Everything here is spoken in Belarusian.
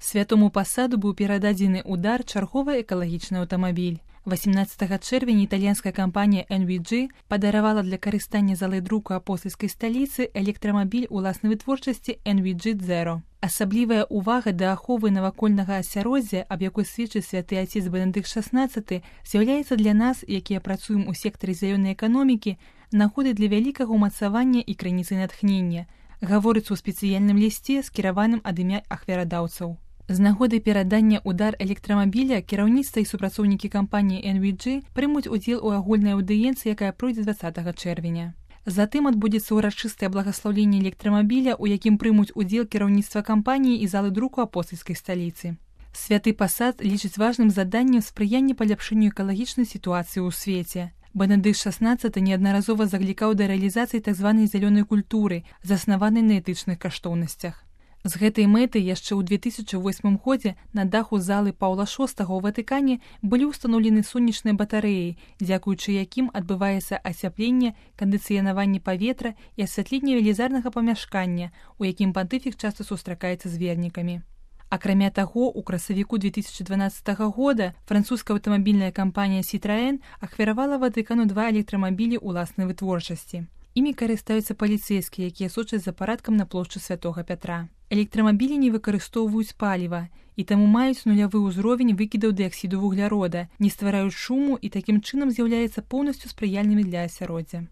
Святому пасаду быў перададзены ўдар чарговы экалагічны аўтамабіль. 18 чэрвеня італьянская кампанія NVG падаравала для карыстання залай друку апостальскай сталіцы электрамабіль уласнай вытворчасці NVG Zero. Асаблівая ўвага да аховы навакольнага асяроддзя, аб якой сведчыць святы отец Бенедыкт XVI, з'яўляецца для нас, якія працуем у сектары зялёнай эканомікі, нагодай для вялікага ўмацавання і крыніцай натхнення, гаворыцца ў спецыяльным лісце, скіраваным ад імя ахвярадаўцаў. З нагоды перадання ўдар электрамабіля кіраўніцтва і супрацоўнікі кампаніі NVG прымуць удзел у агульнай аўдыенцыі, якая пройдзе 20 чэрвеня. Затым адбудзецца ўрачыстае благаслаўленне электрамабіля, у якім прымуць удзел кіраўніцтва кампаніі і залы друку апостальскай сталіцы. Святы пасад лічыць важным заданнем спрыяння паляпшэнню экалагічнай сітуацыі ў свеце. Бенедыкт XVI неаднаразова заклікаў да рэалізацыі так званай зялёнай культуры, заснаванай на этычных каштоўнасцях. З гэтай мэты яшчэ ў 2008 годзе на даху залы Паўла VI ў Ватыкане былі ўстаноўлены сонечныя батарэі, дзякуючы якім адбываецца ацяпленне, кандыцыянаванне паветра і асвятленне велізарнага памяшкання, у якім пантыфік часта сустракаецца з вернікамі. Акрамя таго, у красавіку 2012 года французская аўтамабільная кампанія Citroën ахвяравала Ватыкану 2 электрамабілі ўласнай вытворчасці. Імі карыстаюцца паліцэйскія, якія сочаць за парадкам на плошчы Святога Пятра. Электрамабілі не выкарыстоўваюць паліва і таму маюць нулявы ўзровень выкідаў дыяксіду вуглярода, не ствараюць шуму і такім чынам з'яўляецца поўнасцю спрыяльнымі для асяроддзя.